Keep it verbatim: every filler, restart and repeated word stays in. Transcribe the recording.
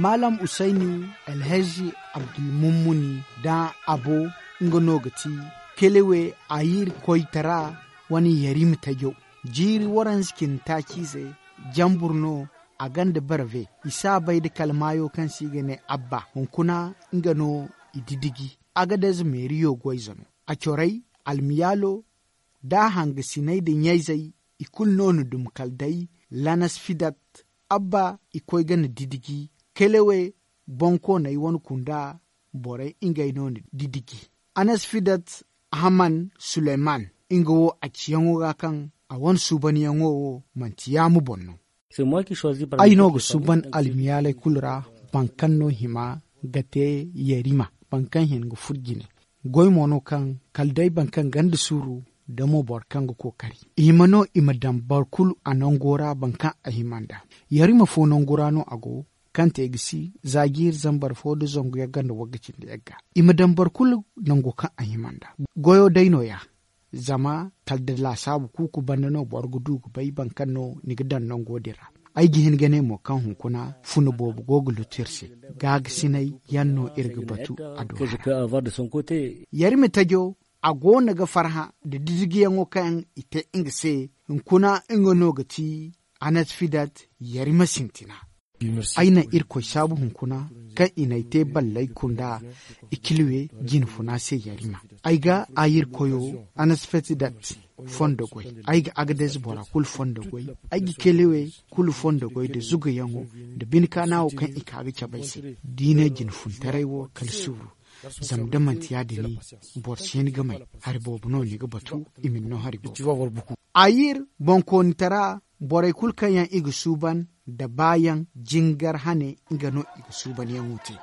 Maalam usayni, alhazi abdulmummuni da abo, nga no ga ti kelewe, ayir koytara wane yarima tajo. Jiiri waranza cindi taaci ize, jambur no a gonda barve. I si a bay nda kala maayo kaŋ se i ga ne abba hunkuna, nga no i didiji. Agadez meeriyo goyze no. A corey, almiyaalo, da a hangasiney nda ɲayzey, i kulu no na dum kala day lanas fidat. Abba, i koy ga na didiji kelewe, bonkooney wane kunda borey ngey no na didiji. Anas fidat, ahaman suleyman, nga wo a ciyaŋo ga kaŋ a wane suubanyaŋo wo manti yaama boŋ no. Ay no ga suuban almiyaaley kulu ra, boro kaŋ no hima ga te yarima, boro kaŋ hin ga furo jine. Goy mo no kaŋ kala day boro kaŋ gonda suuru, da mo boro kaŋ ga kookari, i hima no i ma daŋ boro kulu a nango ra, boro kaŋ a hima nd'a. Yarima fo nangu ra no a go, kaŋ te ga si za jiiri zambar fo nda zangu yagga nda wagga cindi yagga. I ma daŋ boro kulu nango kaŋ a hima nd'a. Goyo day no- ya. Zama kala da laasaabu kuuku banda no boro ga du ga bay boro kaŋ no ni ga daŋ nango din ra. Ay ga hin ga ne mo kaŋ hunkuna funa boobo go ga lutu iri se. Gaagasinay yaŋ no iri ga batu a do hara. Yarima tajo, a go no ga farhã nda didijiyaŋo kaŋ i te nga se. Hunkuna nga no ga ti anas fidat, yarima sintina. Ay naŋ irkoy saabu hunkuna kaŋ i n'ay te ballay kunda, i kilwe jinfuna se yarima. Ay ga ayir koyo, anas fetidat, fondo goy. Ay ga agadez bora kulu fondo goy. Ay ga kelewe kulu fondo goy nda zugayaŋo, nda bine kaana wo kaŋ i ka ga cabe ay se. Diine jinfuntaray wo kala suuru. Zama da manti ya- din, boro si hin ga may. Hari boobo no ni ga batu, i ma ni no hari boobo. Ayir, bonkoonitara, borey kulu kaŋ yaŋ i ga suuban nda baayaŋ, jingar hane, nga no i ga suubanyaŋo te.